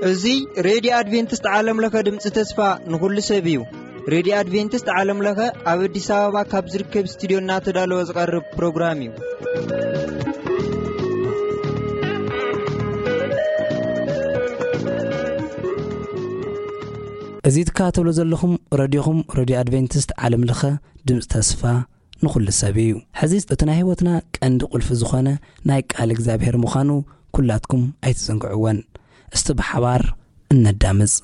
እዚ ሬድዮ ኣድቬንቲስት ዓለም ለኸ ድምፂ ተስፋ ንኹሉ ሰብ እዩ። ሬድዮ ኣድቬንቲስት ዓለም ለኸ ኣብ ኣዲስ ኣበባ ካብ ዝርከብ ስቱዲዮ እናተዳለወ ዝቐርብ ፕሮግራም እዩ። እዚ ትከታተሉ ዘለኹም ረድዮኹም፣ ረድዮ ኣድቬንቲስት ዓለም ለኸ ድምፂ ተስፋ ንኹሉ ሰብ እዩ። ሕዚ እቲ ናይ ህይወትና ቀንዲ ቁልፊ ዝኾነ ናይ ቃል እግዚኣብሔር ምዃኑ ኩላትኩም ኣይትዘንግዕወን። እስቲ ብሓባር እነዳምፅ።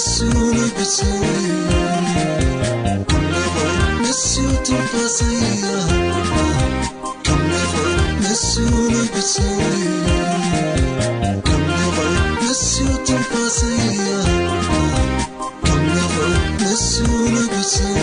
ንሱ ንጉሰይ፣ ከም ነፋስ ንሱ ትንፋሰይ፣ ከም ነፋስ ንሱ ንጉሰይ፣ ከም ነፋስ ንሱ ትንፋሰይ፣ ከም ነፋስ ንሱ ንጉሰይ።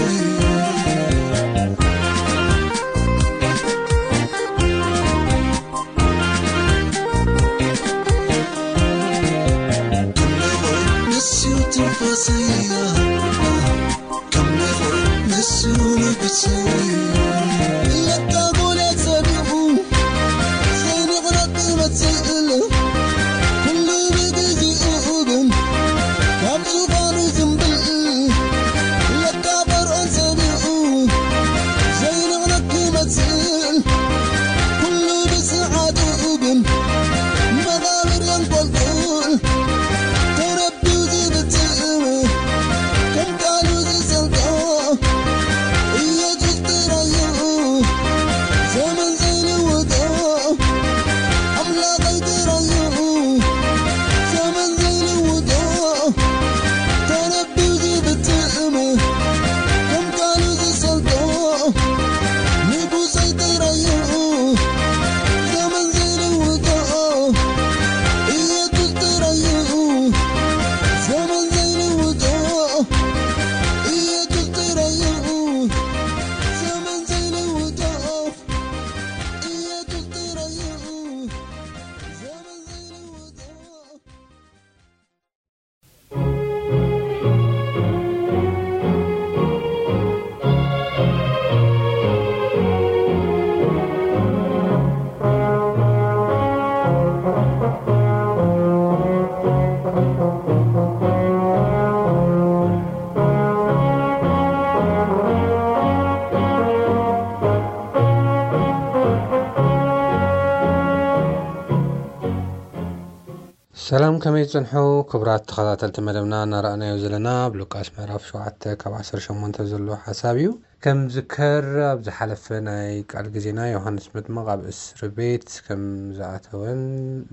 ሰላም፣ ከመይ ትጸንሑ ክቡራት ተኸታተልቲ መደብና? እናረኣናዮ ዘለና ኣብ ሉቃስ ምዕራፍ ሸውዓተ ካብ ዓሰርተ ሸሞንተ ዘሎ ሓሳብ እዩ። ከም ዝከር ኣብ ዝሓለፈ ናይ ቃል ግዜና ዮሃንስ መጥምቕ ኣብ እስሪ ቤት ከም ዝኣተወን፣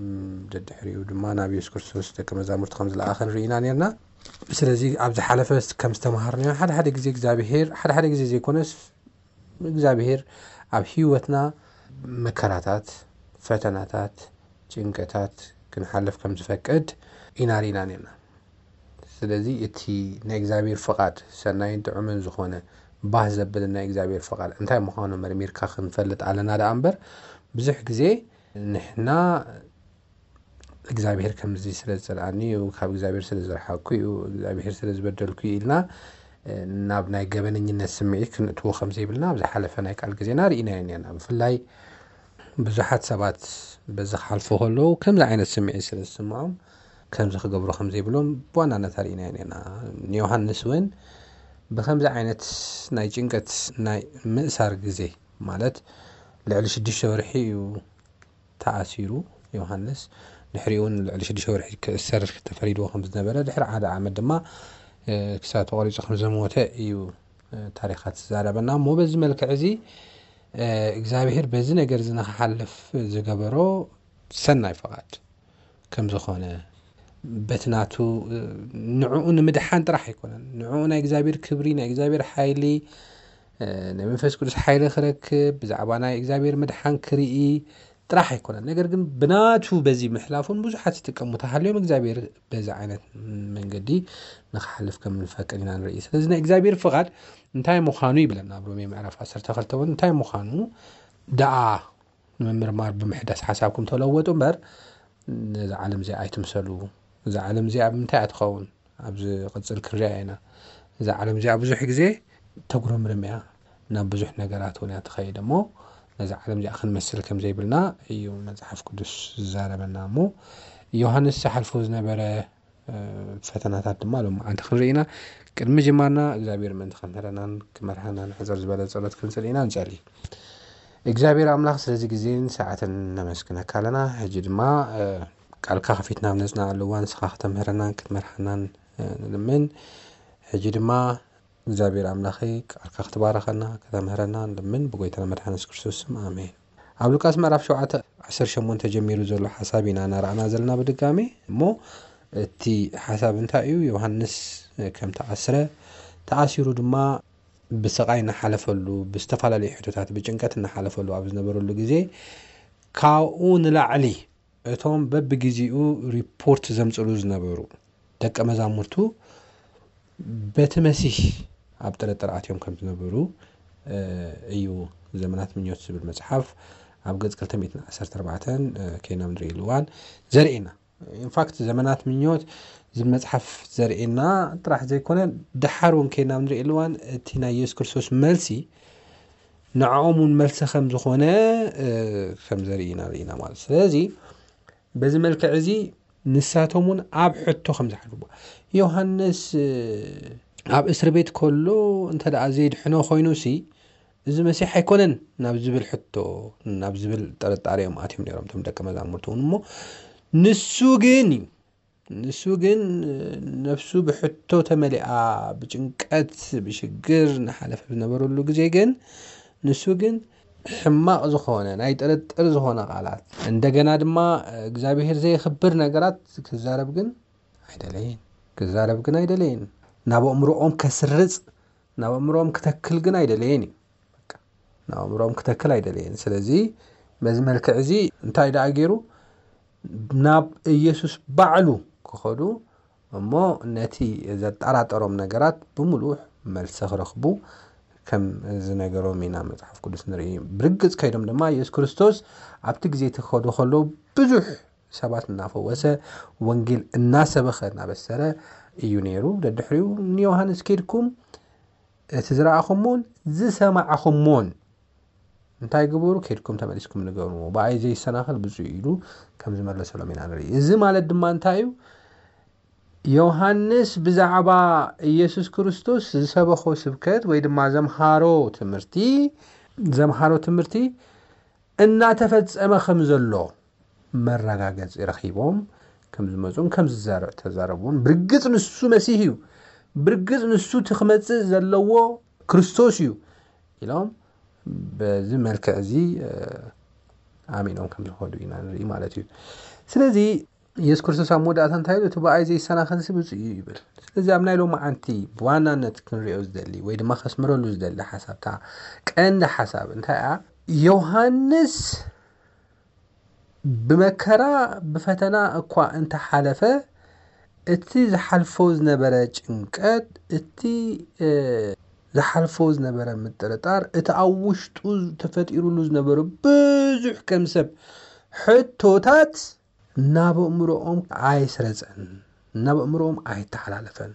ም፣ ደድሕሪኡ ድማ ናብ የሱስ ክርስቶስ ደቀ መዛሙርቲ ከም ዝለኣኸን ርኢና ነርና። ስለዚ ኣብ ዝሓለፈ ከም ዝተምሃርናዮ ሓደ ሓደ ግዜ እግዚኣብሄር፣ ሓደ ሓደ ግዜ ዘይኮነስ እግዚኣብሄር ኣብ ህይወትና መከራታት፣ ፈተናታት፣ ጭንቀታት ክንሓልፍ ከም ዝፈቅድ ኢና ርኢና ነርና። ስለዚ እቲ ናይ እግዚኣብሔር ፍቓድ ሰናይን ጥዑምን ዝኾነ ባህ ዘብል ናይ እግዚኣብሔር ፍቓድ እንታይ ምዃኑ መርሚርካ ክንፈልጥ ኣለና ደኣ እምበር፣ ብዙሕ ግዜ ንሕና እግዚኣብሔር ከምዚ ስለ ዝጸልኣኒ እዩ፣ ካብ እግዚኣብሔር ስለ ዝረሓቅኩ እዩ፣ እግዚኣብሔር ስለ ዝበደልኩ እዩ ኢልና፣ እ፣ ናብ ናይ ገበነኝነት ስምዒት ክንእትዎ ከም ዘይብልና ኣብ ዝሓለፈ ናይ ቃል ግዜና ርኢናዮ ነርና። ብፍላይ ብዙሓት ሰባት በዚ ክሓልፉ ከለዉ ከምዚ ዓይነት ስምዒት ስለ ዝስምዖም ከምዚ ክገብሩ ከም ዘይብሎም ብዋናነት ኣርኢናዮ ነርና። ንዮሃንስ እውን ብከምዚ ዓይነት ናይ ጭንቀት ናይ ምእሳር ግዜ ማለት ልዕሊ ሽዱሽተ ወርሒ እዩ ተኣሲሩ ዮሃንስ። ድሕሪኡ እውን ልዕሊ ሽዱሽተ ወርሒ ክእሰር ተፈሪድዎ ከም ዝነበረ፣ ድሕሪ ሓደ ዓመት ድማ፣ እ፣ ክሳብ ተቖሪጹ ከም ዝሞተ እዩ፣ እ፣ ታሪኻት ዝዛረበና። እሞ በዚ መልክዕ እዚ፣ እ፣ እግዚኣብሔር በዚ ነገር እዚ ንኽሓልፍ ዝገበሮ ሰናይ ፍቓድ ከም ዝኾነ፣ በቲ ናቱ፣ እ፣ ንዕኡ ንምድሓን ጥራሕ ኣይኮነን። ንዕኡ ናይ እግዚኣብሔር ክብሪ፣ ናይ እግዚኣብሔር ሓይሊ፣ እ፣ ናይ መንፈስ ቅዱስ ሓይሊ ክረክብ፣ ብዛዕባ ናይ እግዚኣብሔር ምድሓን ክርኢ ጥራሕ ኣይኮነን። ነገር ግን ብናቱ በዚ ምሕላፉን ብዙሓት ዝጥቀሙ ተሃልዮም እግዚኣብሔር በዚ ዓይነት መንገዲ ንኽሓልፍ ከም ንፈቅድ ኢና ንርኢ። ስለዚ ናይ እግዚኣብሔር ፍቓድ እንታይ ምዃኑ ይብለና ኣብ ሮሜ ምዕራፍ ዓሰርተ ክልተ እውን እንታይ ምዃኑ ደኣ ንምምርማር ብምሕዳስ ሓሳብኩም ተለወጡ እምበር ነዛ ዓለም እዚኣ ኣይትምሰሉ። እዛ ዓለም እዚኣ ብምንታይ እያ ትኸውን? ኣብ ዝቕጽል ክንሪኣ ኢና። እዛ ዓለም እዚኣ ብዙሕ ግዜ ተጉረምርም እያ፣ ናብ ብዙሕ ነገራት እውን እያ ትኸይድ እሞ ነዛ ዓለም እዚኣ ክንመስል ከም ዘይብልና እዩ መጽሓፍ ቅዱስ ዝዛረበና። እሞ ዮሃንስ ዝሓልፎ ዝነበረ፣ እ፣ ፈተናታት ድማ ሎማዓንቲ ክንርኢ ኢና። ቅድሚ ጅማርና እግዚኣብሔር ምእንቲ ከምህረናን ክመርሓናን ሕጽር ዝበለ ጸሎት ክንጽሊ ኢና። ንጸሊ። እግዚኣብሔር ኣምላኽ ስለዚ ግዜን ሰዓትን ነመስግነካ ኣለና። ሕጂ ድማ፣ እ፣ ቃልካ ከፊትና ኣብ ነጽናዓሉ እዋን ንስኻ ከተምህረናን ክትመርሓናን፣ እ፣ ንልምን። ሕጂ ድማ እግዚኣብሔር ኣምላኸይ ቃልካ ክትባረኸና ከተምህረና ንልምን ብጎይታና መድሓኒ የሱስ ክርስቶስ ስም ኣሜን። ኣብ ሉቃስ ምዕራፍ ሸውዓተ ዓሰርተ ሸሞንተ ጀሚሩ ዘሎ ሓሳብ ኢና እናረኣና ዘለና ብድጋሜ እሞ እቲ ሓሳብ እንታይ እዩ? ዮሃንስ ከም ተኣስረ፣ ተኣሲሩ ድማ ብስቓይ እናሓለፈሉ፣ ብዝተፈላለዩ ሕቶታት ብጭንቀት እናሓለፈሉ ኣብ ዝነበረሉ ግዜ፣ ካብኡ ንላዕሊ እቶም በብግዜኡ ሪፖርት ዘምፅሉ ዝነበሩ ደቀ መዛሙርቱ በቲ መሲህ ኣብ ጥርጥር ኣትዮም ከም ዝነበሩ እዩ ዘመናት ምኞት ዝብል መፅሓፍ ኣብ ገፅ ክልተ ሚእትን ዓሰርተ ኣርባዕተን ከይና ንርእየሉ እዋን ዘርእየና። ኢንፋክት ዘመናት ምኞት ዝብል መፅሓፍ ዘርእየና ጥራሕ ዘይኮነ፣ ደሓር እውን ከይና ንርእየሉ እዋን እቲ ናይ የሱስ ክርስቶስ መልሲ ንዕኦም እውን መልሲ ከም ዝኾነ ከም ዘርእየና ርኢና ማለት። ስለዚ በዚ መልክዕ እዚ ንሳቶም እውን ኣብ ሕቶ ከም ዝሓልፉ፣ ዮሃንስ ኣብ እስር ቤት ከሎ እንተ ደኣ ዘየድሕኖ ኮይኑሲ፣ እዚ መሲሕ ኣይኮነን ናብ ዝብል ሕቶ፣ ናብ ዝብል ጥርጣሬ እዮም ኣትዮም ነይሮም እቶም ደቀ መዛሙርቱ እውን። እሞ ንሱ ግን እዩ፣ ንሱ ግን ነፍሱ ብሕቶ ተመሊኣ፣ ብጭንቀት፣ ብሽግር እናሓለፈ ዝነበረሉ ግዜ ግን፣ ንሱ ግን ሕማቕ ዝኾነ ናይ ጥርጥር ዝኾነ ቃላት፣ እንደገና ድማ እግዚኣብሄር ዘየኽብር ነገራት ክዛረብ ግን ኣይደለየን። ክዛረብ ግን ኣይደለየን። ናብ ኣእምሮኦም ከስርጽ፣ ናብ ኣእምሮኦም ክተክል ግን ኣይደለየን እዩ። በቃ፣ ናብ ኣእምሮኦም ክተክል ኣይደለየን። ስለዚ በዚ መልክዕ እዚ እንታይ ደኣ ገይሩ? ናብ ኢየሱስ ባዕሉ ክኸዱ፣ እሞ ነቲ ዘጠራጠሮም ነገራት ብምሉእ መልሲ ክረኽቡ ከም ዝነገሮም ኢና መጽሓፍ ቅዱስ ንርኢ። ብርግጽ ከይዶም ድማ የሱስ ክርስቶስ ኣብቲ ግዜ እቲ ክኸዱ ከለዉ ብዙሕ ሰባት እናፈወሰ፣ ወንጌል እናሰበኸ፣ እናበሰረ እዩ ነይሩ። ደድሕሪኡ ንዮሃንስ፣ "ከይድኩም እቲ ዝረኣኹሞን ዝሰማዕኹሞን እንታይ ግበሩ? ከይድኩም ተመሊስኩም ንገርዎ፣ ብኣይ ዘይሰናኸል ብፁዕ እዩ" ኢሉ ከም ዝመለሰሎም ኢና ንርኢ። እዚ ማለት ድማ እንታይ እዩ? ዮሃንስ ብዛዕባ ኢየሱስ ክርስቶስ ዝሰበኾ ስብከት ወይ ድማ ዘምሃሮ ትምህርቲ፣ ዘምሃሮ ትምህርቲ እናተፈጸመ ከም ዘሎ መረጋገጺ ረኺቦም ከም ዝመጹን ከም ዝዛረ-፣ ተዛረቡን፣ ብርግጽ ንሱ መሲህ እዩ፣ ብርግጽ ንሱ እቲ ክመጽእ ዘለዎ ክርስቶስ እዩ ኢሎም በዚ መልክዕ እዚ፣ እ፣ ኣሚኖም ከም ዝኸዱ ኢና ንርኢ ማለት እዩ። ስለዚ የሱስ ክርስቶስ ኣብ መወዳእታ እንታይ ኢሉ? "እቲ ብኣይ ዘይሰናኸልሲ ብፁዕ እዩ" ይብል። ስለዚ ኣብ ናይ ሎማዓንቲ ብዋናነት ክንሪኦ ዝደሊ ወይ ድማ ከስምረሉ ዝደሊ ሓሳብታ ቀንዲ ሓሳብ እንታይ እያ? ዮሃንስ ብመከራ ብፈተና እኳ እንተሓለፈ፣ እቲ ዝሓልፎ ዝነበረ ጭንቀት፣ እቲ፣ እ፣ ዝሓልፎ ዝነበረ ምጥርጣር፣ እቲ ኣብ ውሽጡ ተፈጢሩሉ ዝነበረ ብዙሕ ከም ሰብ ሕቶታት ናብ ኣእምሮኦም ኣይስረጸን፣ ናብ ኣእምሮኦም ኣይተሓላለፈን።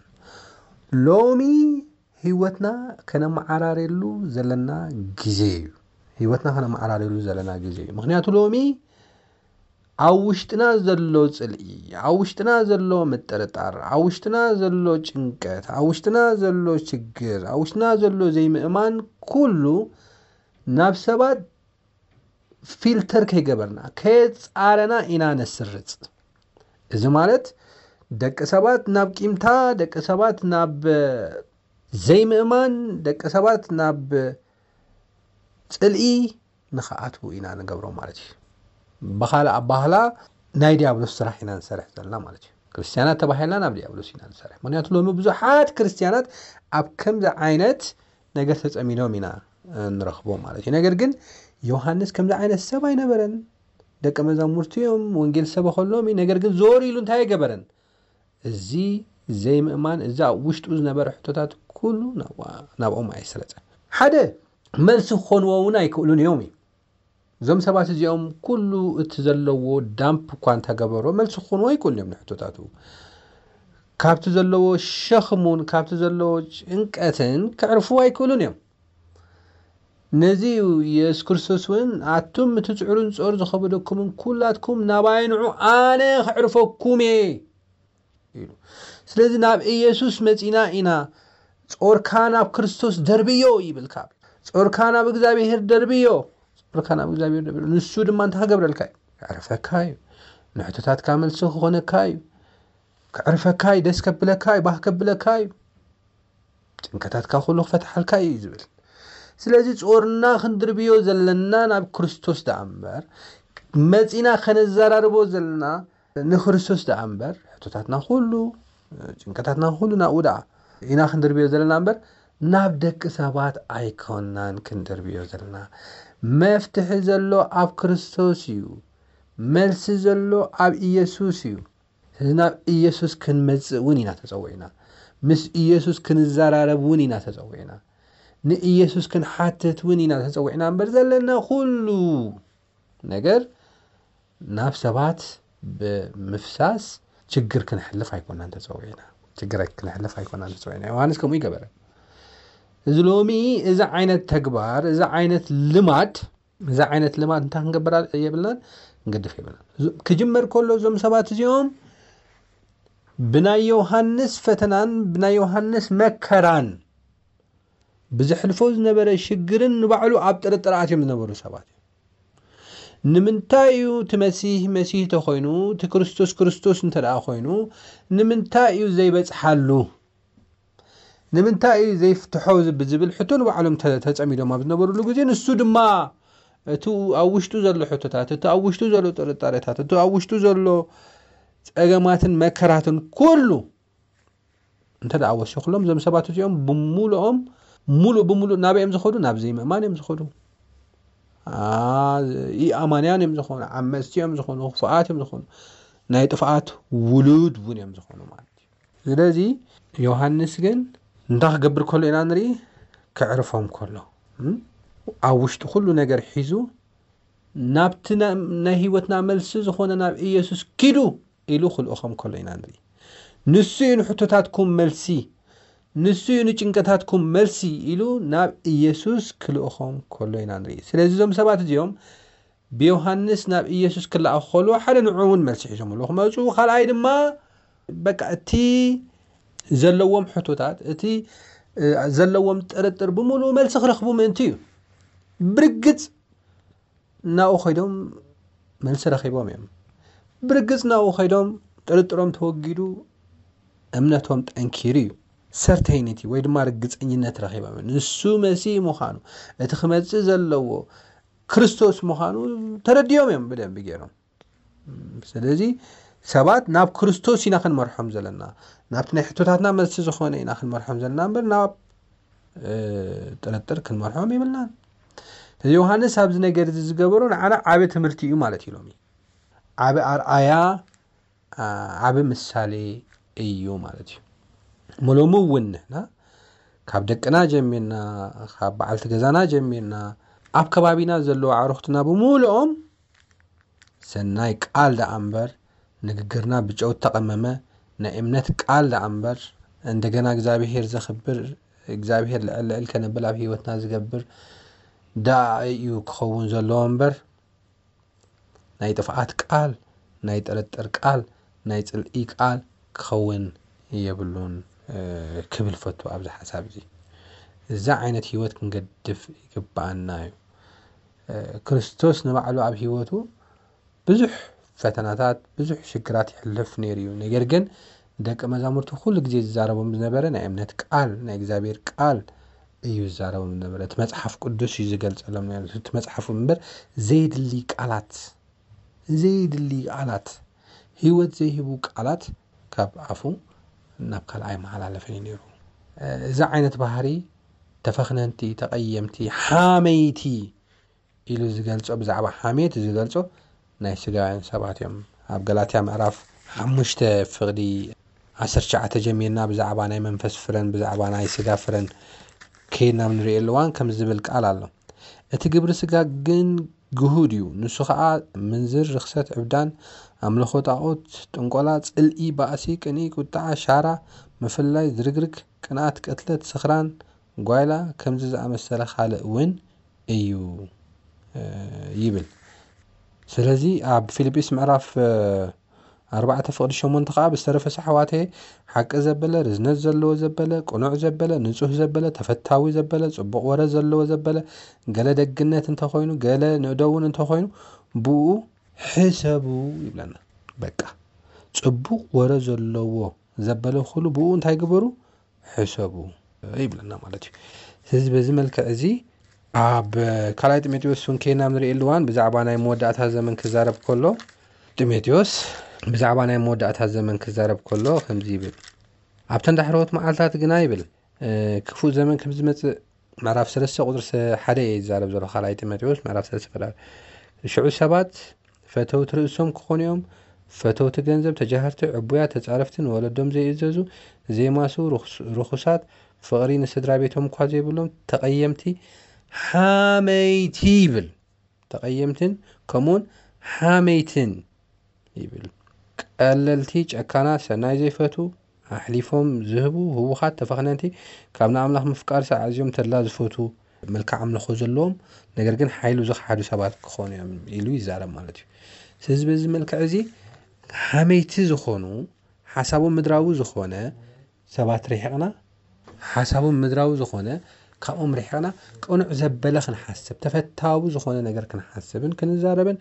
ሎሚ ህይወትና ከነመዓራርየሉ ዘለና ግዜ እዩ። ህይወትና ከነመዓራርየሉ ዘለና ግዜ እዩ። ምኽንያቱ ሎሚ ኣብ ውሽጥና ዘሎ ጽልኢ፣ ኣብ ውሽጥና ዘሎ ምጥርጣር፣ ኣብ ውሽጥና ዘሎ ጭንቀት፣ ኣብ ውሽጥና ዘሎ ችግር፣ ኣብ ውሽጥና ዘሎ ዘይምእማን ኩሉ ናብ ሰባት ፊልተር ከይገበርና፣ ከየጻረና ኢና ነስርጽ። እዚ ማለት ደቂ ሰባት ናብ ቂምታ፣ ደቂ ሰባት ናብ ዘይምእማን፣ ደቂ ሰባት ናብ ጽልኢ ንኽኣትዉ ኢና ንገብሮም ማለት እዩ። ብኻልእ ኣባህላ ናይ ዲያብሎስ ስራሕ ኢና ንሰርሕ ዘለና ማለት እዩ። ክርስትያናት ተባሂልና ናብ ዲያብሎስ ኢና ንሰርሕ። ምኽንያቱ ሎሚ ብዙሓት ክርስትያናት ኣብ ከምዚ ዓይነት ነገር ተጸሚዶም ኢና፣ እ፣ ንረኽቦም ማለት እዩ። ነገር ግን ዮሃንስ ከምዚ ዓይነት ሰብ ኣይነበረን። ደቀ መዛሙርቱ እዮም፣ ወንጌል ዝሰበኸሎም እዩ። ነገር ግን ዞር ኢሉ እንታይ ኣይገበረን? እዚ ዘይምእማን፣ እዚ ኣብ ውሽጡ ዝነበረ ሕቶታት ኩሉ ናብኣ-፣ ናብኦም ኣይስረጸን። ሓደ፣ መልሲ ክኾንዎ እውን ኣይክእሉን እዮም እዩ። እዞም ሰባት እዚኦም ኩሉ እቲ ዘለዎ ዳምፕ እኳ እንተገበሮ፣ መልሲ ክኾንዎ ኣይክእሉን እዮም ንሕቶታቱ። ካብቲ ዘለዎ ሸኽሙን ካብቲ ዘለዎ ጭንቀትን ከዕርፍዎ ኣይክእሉን እዮም። ነዚ እዩ የሱስ ክርስቶስ እውን፣ "ኣቱም እቲ ጽዕሩን ጾር ዝኸበደኩምን ኩላትኩም ናባይ ንዑ፣ ኣነ ከዕርፈኩም እየ" ኢሉ። ስለዚ ናብ ኢየሱስ መጺና ኢና፣ "ጾርካ ናብ ክርስቶስ ደርብዮ" ይብል። ካብ "ጾርካ ናብ እግዚኣብሄር ደርብዮ፣ ጾርካ ናብ እግዚኣብሄር ደርብዮ፣ ንሱ ድማ እንታይ ክገብረልካ እዩ? ከዕርፈካ እዩ፣ ንሕቶታትካ መልሲ ክኾነካ እዩ፣ ከዕርፈካ እዩ፣ ደስ ከብለካ እዩ፣ ባህ ከብለካ እዩ፣ ጭንቀታትካ ኩሉ ክፈትሓልካ እዩ" ዝብል። ስለዚ ጾርና ክንድርብዮ ዘለና ናብ ክርስቶስ ደኣ እምበር፣ መጺና ከነዘራርቦ ዘለና ንክርስቶስ ደኣ እምበር፣ ሕቶታትና ኩሉ፣ ጭንቀታትና ኩሉ ናብኡ ደኣ ኢና ክንድርብዮ ዘለና እምበር፣ ናብ ደቂ ሰባት ኣይኮናን ክንድርብዮ ዘለና። መፍትሒ ዘሎ ኣብ ክርስቶስ እዩ። መልሲ ዘሎ ኣብ ኢየሱስ እዩ። ስለዚ ናብ ኢየሱስ ክንመጽእ እውን ኢና ተጸዊዕና። ምስ ኢየሱስ ክንዘራረብ እውን ኢና ተጸዊዕና። ንኢየሱስ ክንሓትት እውን ኢና ተጸዊዕና እምበር፣ ዘለና ኩሉ ነገር ናብ ሰባት ብምፍሳስ ችግር ክንሕልፍ ኣይኮናን ተጸዊዕና። ችግር ክንሕልፍ ኣይኮናን ተጸዊዕና። ዮሃንስ ከምኡ ይገበረ። እዚ ሎሚ እዚ ዓይነት ተግባር፣ እዚ ዓይነት ልማድ፣ እዚ ዓይነት ልማድ እንታይ ክንገብር የብልናን፣ ክንገድፍ የብልናን። ክጅመር ከሎ እዞም ሰባት እዚኦም ብናይ ዮሃንስ ፈተናን ብናይ ዮሃንስ መከራን ብዘሕልፎ ዝነበረ ሽግርን ንባዕሉ ኣብ ጥርጥር ኣትዮም ዝነበሩ ሰባት እዮም። ንምንታይ እዩ እቲ መሲህ መሲህ ተኾይኑ፣ እቲ ክርስቶስ ክርስቶስ እንተ ደኣ ኮይኑ፣ ንምንታይ እዩ ዘይበጽሓሉ? ንምንታይ እዩ ዘይፍትሖ ብዝብል ሕቶ ንባዕሎም ተ-፣ ተጸሚዶም ኣብ ዝነበሩሉ ግዜ፣ ንሱ ድማ እቲ ኣብ ውሽጡ ዘሎ ሕቶታት፣ እቲ ኣብ ውሽጡ ዘሎ ጥርጣሬታት፣ እቲ ኣብ ውሽጡ ዘሎ ጸገማትን መከራትን ኩሉ እንተ ደኣ ወሲኹሎም፣ እዞም ሰባት እዚኦም ብምሉኦም፣ ሙሉእ ብምሉእ ናበይ እዮም ዝኸዱ? ናብ ዘይምእማን እዮም ዝኸዱ። አ፣ ኢኣማንያን እዮም ዝኾኑ፣ ዓመፅቲ እዮም ዝኾኑ፣ ክፉኣት እዮም ዝኾኑ፣ ናይ ጥፍኣት ውሉድ እውን እዮም ዝኾኑ ማለት እዩ። ስለዚ ዮሃንስ ግን እንታይ ክገብር ከሎ ኢና ንርኢ? ክዕርፎም ከሎ፣ እም? ኣብ ውሽጡ ኩሉ ነገር ሒዙ ናብቲ ና-፣ ናይ ህይወትና መልሲ ዝኾነ ናብ ኢየሱስ ኪዱ ኢሉ ክልእኾም ከሎ ኢና ንርኢ። ንሱ እዩ ንሕቶታትኩም መልሲ፣ ንሱ እዩ ንጭንቀታትኩም መልሲ ኢሉ ናብ ኢየሱስ ክልእኾም ከሎ ኢና ንርኢ። ስለዚ እዞም ሰባት እዚኦም ብዮሃንስ ናብ ኢየሱስ ክለኣኹ ከለዉ ሓደ ንዕኡ እውን መልሲ ሒዞምሉ ክመፁ፣ ካልኣይ ድማ በቃ እቲ ዘለዎም ሕቶታት፣ እቲ፣ እ፣ ዘለዎም ጥርጥር ብምሉኡ መልሲ ክረኽቡ ምእንቲ እዩ። ብርግጽ ናብኡ ከይዶም መልሲ ረኺቦም እዮም። ብርግጽ ናብኡ ከይዶም ጥርጥሮም ተወጊዱ እምነቶም ጠንኪሩ እዩ። ሰርተይኒቲ ወይ ድማ ርግጸኝነት ረኺቦም እዮም። ንሱ መሲህ ምዃኑ፣ እቲ ክመጽእ ዘለዎ ክርስቶስ ምዃኑ ተረዲኦም እዮም ብደንቢ ገይሮም። ስለዚ ሰባት ናብ ክርስቶስ ኢና ክንመርሖም ዘለና፣ ናብቲ ናይ ሕቶታትና መልሲ ዝኾነ ኢና ክንመርሖም ዘለና እምበር ናብ፣ እ፣ ጥርጥር ክንመርሖም ይብልናን። ስለዚ ዮሃንስ ኣብዚ ነገር እዚ ዝገበሮ ንዓና ዓቢ ትምህርቲ እዩ ማለት እዩ። ሎሚ ዓቢ ኣርኣያ፣ ዓ-፣ ዓቢ ምሳሌ እዩ ማለት እዩ። እሞ ሎሚ እውን ንሕና ካብ ደቅና ጀሚርና፣ ካብ በዓልቲ ገዛና ጀሚርና፣ ኣብ ከባቢና ዘለዉ ኣዕሩኽትና ብምሉኦም ሰናይ ቃል ደኣ እምበር፣ ንግግርና ብጨው እተቐመመ ናይ እምነት ቃል ደኣ እምበር፣ እንደገና እግዚኣብሄር ዘኽብር፣ እግዚኣብሄር ልዕል ልዕል ከነብል ኣብ ህይወትና ዝገብር ደኣ እዩ ክኸውን ዘለዎ እምበር፣ ናይ ጥፍኣት ቃል፣ ናይ ጥርጥር ቃል፣ ናይ ጽልኢ ቃል ክኸውን የብሉን፣ እ፣ ክብል ፈቱ ኣብዚ ሓሳብ እዚ። እዚ ዓይነት ህይወት ክንገድፍ ይግብኣና እዩ። እ፣ ክርስቶስ ንባዕሉ ኣብ ህይወቱ ብዙሕ ፈተናታት፣ ብዙሕ ሽግራት ይሕልፍ ነይሩ እዩ። ነገር ግን ደቂ መዛሙርቱ ኩሉ ግዜ ዝዛረቦም ዝነበረ ናይ እምነት ቃል፣ ናይ እግዚኣብሔር ቃል እዩ ዝዛረቦም ዝነበረ። እቲ መጽሓፍ ቅዱስ እዩ ዝገልጸሎም ነይሩ። እቲ መጽሓፉ እምበር ዘይድሊ ቃላት፣ ዘይድሊ ቃላት፣ ህይወት ዘይህቡ ቃላት ካብ ኣፉ ናብ ካልኣይ መሓላለፈ እዩ ነይሩ። እዚ ዓይነት ባህሪ ተፈኽነንቲ፣ ተቐየምቲ፣ ሓመይቲ ኢሉ ዝገልጾ፣ ብዛዕባ ሓሜት ዝገልጾ ናይ ስጋውያን ሰባት እዮም። ኣብ ገላትያ ምዕራፍ ሓሙሽተ ፍቕዲ ዓሰርተ ትሽዓተ ጀሚርና ብዛዕባ ናይ መንፈስ ፍረን ብዛዕባ ናይ ስጋ ፍረን ከይድና ኣብ ንርእየሉ እዋን ከምዚ ዝብል ቃል ኣሎ። እቲ ግብሪ ስጋ ግን ግሁድ እዩ። ንሱ ኸኣ ምንዝር፣ ርኽሰት፣ ዕብዳን፣ ኣምልኾ ጣዖት፣ ጥንቆላ፣ ጽልኢ፣ ባእሲ፣ ቅንኢ፣ ቁጥዓ፣ ሻራ፣ ምፍልላይ፣ ዝርግርግ፣ ቅንኣት፣ ቅትለት፣ ስኽራን፣ ጓይላ፣ ከምዚ ዝኣመሰለ ካልእ እውን እዩ፣ እ፣ ይብል። ስለዚ ኣብ ፊልጵስ ምዕራፍ፣ እ፣ ኣርባዕተ ፍቕዲ ሸሞንተ ኸኣ፣ ብዝተረፈስ ኣሕዋተየ፣ ሓቂ ዘበለ፣ ርዝነት ዘለዎ ዘበለ፣ ቅኑዕ ዘበለ፣ ንጹህ ዘበለ፣ ተፈታዊ ዘበለ፣ ጽቡቕ ወረ ዘለዎ ዘበለ፣ ገለ ደግነት እንተኾይኑ፣ ገለ ንእደውን እንተኾይኑ፣ ብኡ ሕሰቡ ይብለና። በቃ፣ ጽቡቕ ወረ ዘለዎ ዘበለ ኩሉ ብኡ እንታይ ግበሩ? ሕሰቡ ይብለና ማለት እዩ። ስለዚ በዚ መልክዕ እዚ ኣብ ካልኣይ ጢሞቴዎስ እውን ከይና ንርእየሉ እዋን ብዛዕባ ናይ መወዳእታ ዘመን ክዛረብ ከሎ ጢሞቴዎስ ብዛዕባ ናይ መወዳእታ ዘመን ክዛረብ ከሎ ከምዚ ይብል። ኣብተን ዳሕረዎት መዓልታት ግና ይብል፣ እ፣ ክፉእ ዘመን ከም ዝመጽእ ምዕራፍ ሰለስተ ቁጽሪ ሰ-፣ ሓደ እየ ዝዛረብ ዘሎ፣ ካልኣይ ጢሞቴዎስ ምዕራፍ ሰለስተ ፈላል። ሽዑ ሰባት ፈተውቲ ርእሶም ክኾኑ እዮም፣ ፈተውቲ ገንዘብ፣ ተጃህርቲ፣ ዕቡያት፣ ተጻረፍቲ፣ ንወለዶም ዘይእዘዙ፣ ዘይማስዉ፣ ርኹስ-፣ ርኹሳት፣ ፍቕሪ ንስድራ ቤቶም እኳ ዘይብሎም፣ ተቐየምቲ፣ ሓመይቲ ይብል። ተቐየምትን ከምኡውን ሓመይትን ይብል። ቀለልቲ፣ ጨካናት፣ ሰናይ ዘይፈቱ፣ ኣሕሊፎም ዝህቡ፣ ህውኻት፣ ተፈኽነንቲ፣ ካብ ንኣምላኽ ምፍቃርሲ ኣዕዝዮም ተድላ ዝፈቱ፣ መልክዕ ኣምልኾ ዘለዎም፣ ነገር ግን ሓይሉ ዝኸሓዱ ሰባት ክኾኑ እዮም ኢሉ ይዛረብ ማለት እዩ። ስለዚ በዚ መልክዕ እዚ ሓመይቲ ዝኾኑ፣ ሓሳቦም ምድራዊ ዝኾነ ሰባት ርሒቕና፣ ሓሳቦም ምድራዊ ዝኾነ ካብኦም ርሒቕና፣ ቅኑዕ ዘበለ ክንሓስብ፣ ተፈታዊ ዝኾነ ነገር ክንሓስብን ክንዛረብን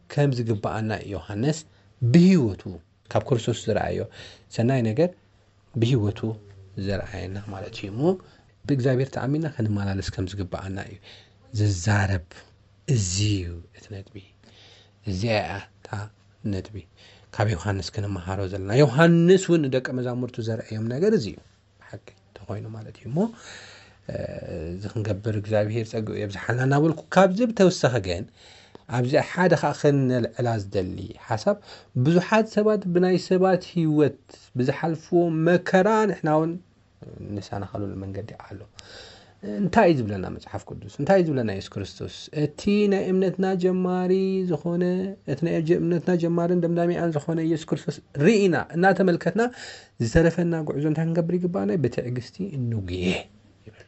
ከም ዝግብኣና እዩ ዮሃንስ ብህይወቱ ካብ ክርስቶስ ዝረኣዮ ሰናይ ነገር ብህይወቱ ዘርኣየና ማለት እዩ። እሞ ብእግዚኣብሔር ተኣሚንና ክንመላለስ ከም ዝግብኣና እዩ ዝዛረብ። እዚ እዩ እቲ ነጥቢ። እዚኣ እያ እታ ነጥቢ ካብ ዮሃንስ ክንመሃሮ ዘለና። ዮሃንስ እውን ንደቀ መዛሙርቱ ዘርኣዮም ነገር እዚ እዩ። ብሓቂ እንተኾይኑ ማለት እዩ። እሞ፣ እ፣ እዚ ክንገብር እግዚኣብሔር ጸግኡ የብዝሓልና እናበልኩ፣ ካብዚ ብተወሳኺ ግን ኣብዚ ሓደ ኸኣ ከነልዕላ ዝደሊ ሓሳብ፣ ብዙሓት ሰባት ብናይ ሰባት ህይወት ብዝሓልፍዎ መከራ ንሕና እውን ንሰናኸለሉ መንገዲ ኣሎ። እንታይ እዩ ዝብለና መጽሓፍ ቅዱስ? እንታይ እዩ ዝብለና የሱስ ክርስቶስ? እቲ ናይ እምነትና ጀማሪ ዝኾነ፣ እቲ ናይ እምነትና ጀማርን ደምዳሚኣን ዝኾነ የሱስ ክርስቶስ ርኢና፣ እናተመልከትና፣ ዝተረፈና ጉዕዞ እንታይ ክንገብር ይግባኣና? ብትዕግስቲ እንጉየ ይብል።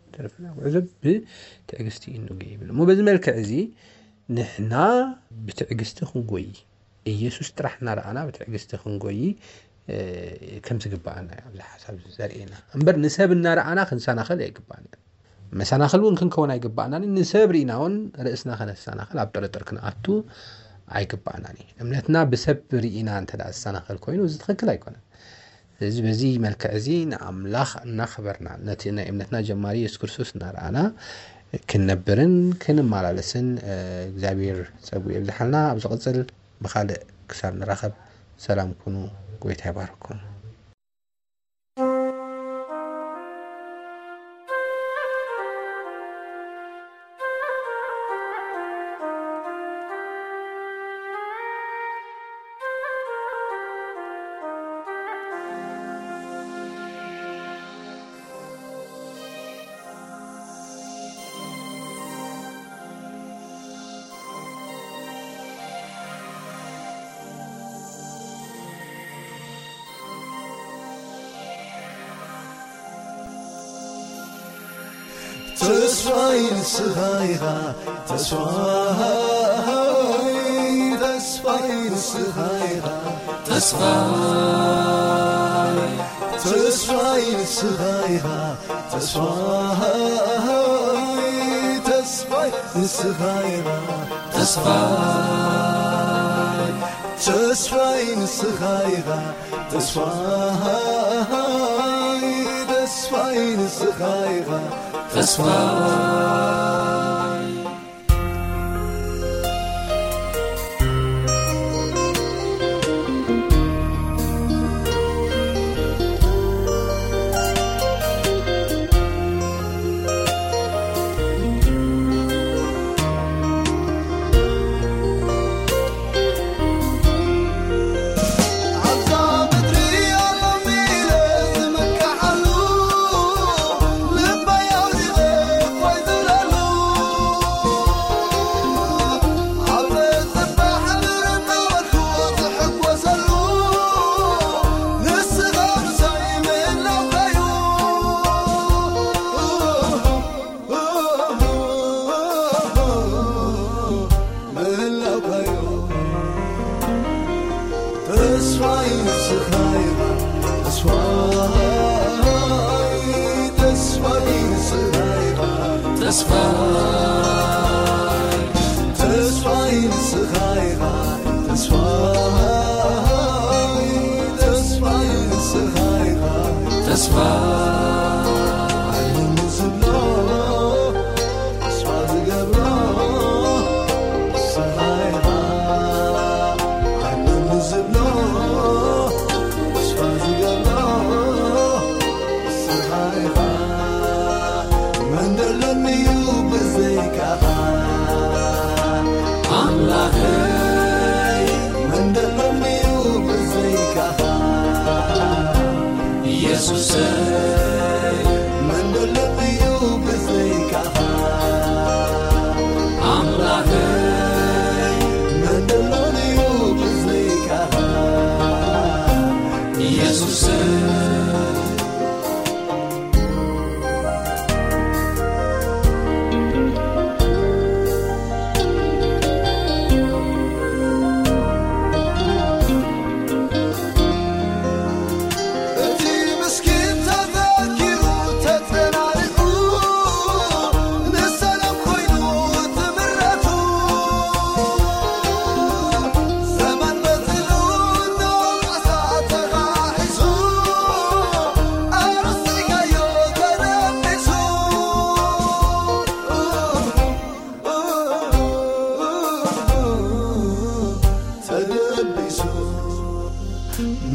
ዝተረፈና ጉዕዞ ብትዕግስቲ እንጉየ ይብል። እሞ በዚ መልክዕ እዚ ንሕና ብትዕግስቲ ክንጎይ፣ ኢየሱስ ጥራሕ እናረኣና ብትዕግስቲ ክንጎይ፣ እ፣ ከም ዝግባኣና እዩ ኣብዚ ሓሳብ እዚ ዘርእየና። እምበር ንሰብ እናረኣና ክንሰናኸል ኣይግባኣና። መሰናኽል እውን ክንከውን ኣይግባኣናን። ንሰብ ርኢና እውን ርእስና ከነሰናኽል ኣብ ጥርጥር ክንኣቱ ኣይግባኣናን እዩ። እምነትና ብሰብ ርኢና እንተ ደኣ ዝሰናኸል ኮይኑ፣ እዚ ትኽክል ኣይኮነን። ስለዚ በዚ መልክዕ እዚ ንኣምላኽ እናኽበርና፣ ነቲ ናይ እምነትና ጀማሪ የሱስ ክርስቶስ እናረኣና ክንነብርን ክንመላለስን፣ እ፣ እግዚኣብሔር ጸጉ የብዝሓልና። ኣብ ዝቕጽል ብኻልእ ክሳብ ንራኸብ ሰላም ኩኑ። ጎይታ ይባርኩም። ተስፋይ ንስኻ ኢኻ፣ ተስፋይ፣ ተስፋይ ንስኻ ኢኻ፣ ተስፋይ፣ ተስፋይ ንስኻ ኢኻ፣ ተስፋይ፣ ተስፋይ ንስኻ ኢኻ፣ ተስፋይ፣ ተስፋይ ንስኻ ኢኻ፣ ተስፋይ፣ ተስፋይ ንስኻ ኢኻ፣ ተስፋይ። ተስፋይ ንስኻ ኢኻ፣ ተስፋይ፣ ተስፋይ ንስኻ ኢኻ፣ ተስፋይ፣ ተስፋይ ንስኻ ኢኻ፣ ተስፋይ፣ ተስፋይ ንስኻ ኢኻ፣ ተስፋይ። ዓለም ዝብሎ ተስፋ ዝገብሮ ንስኻ ኢኻ። ዓለም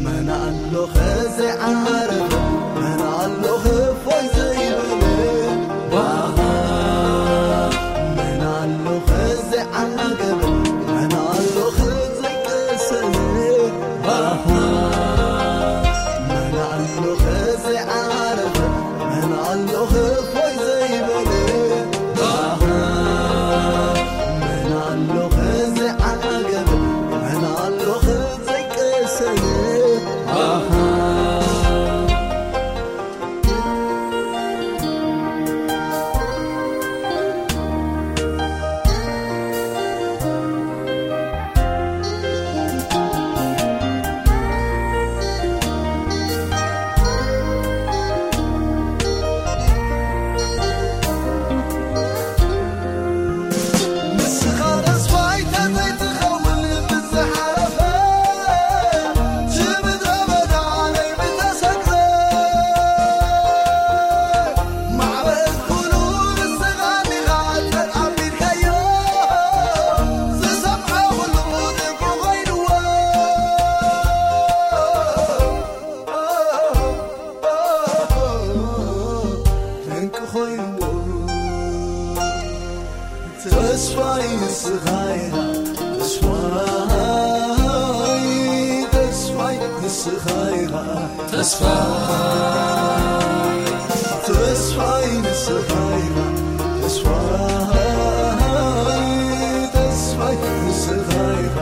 መን ኣሎ ዘይዓረፈ፣ መን ኣሎ ክፎይ ዘይበለ፣ ባኻ። መን ኣሎ ዘይዓገበ፣ መን ኣሎ ዘይቀሰነ፣ ባኻ። መን ኣሎ ዘይዓረፈ፣ መን ኣሎ ክፎይ ዘይበለ፣ ባኻ። መን ኣሎ ዘይዓገበ፣ መን ኣሎ ዘይቀሰነ፣ ባኻ። ንስኻ ተስፋይ ተዘይትኸውን ብዝሓለፈ፣ እቲ ምድረ በዳ ናይ ምተሰግረ፣ ማዕበል ኩሉ ንስኻ ዲኻ ኣቢልካዮ፣ ዝሰምዖ ኩሉ ድንቁ ኮይንዎ። ድንቂ ኮይንዎ። ተስፋይ ንስኻ ኢኻ፣ ተስፋይ፣ ተስፋይ ንስኻ ኢኻ፣ ተስፋይ፣ ተስፋይ ንስኻ ኢኻ፣ ተስፋይ፣ ተስፋይ ንስኻ ኢኻ፣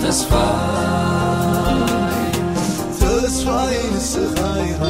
ተስፋይ፣ ተስፋይ ንስኻ ኢኻ።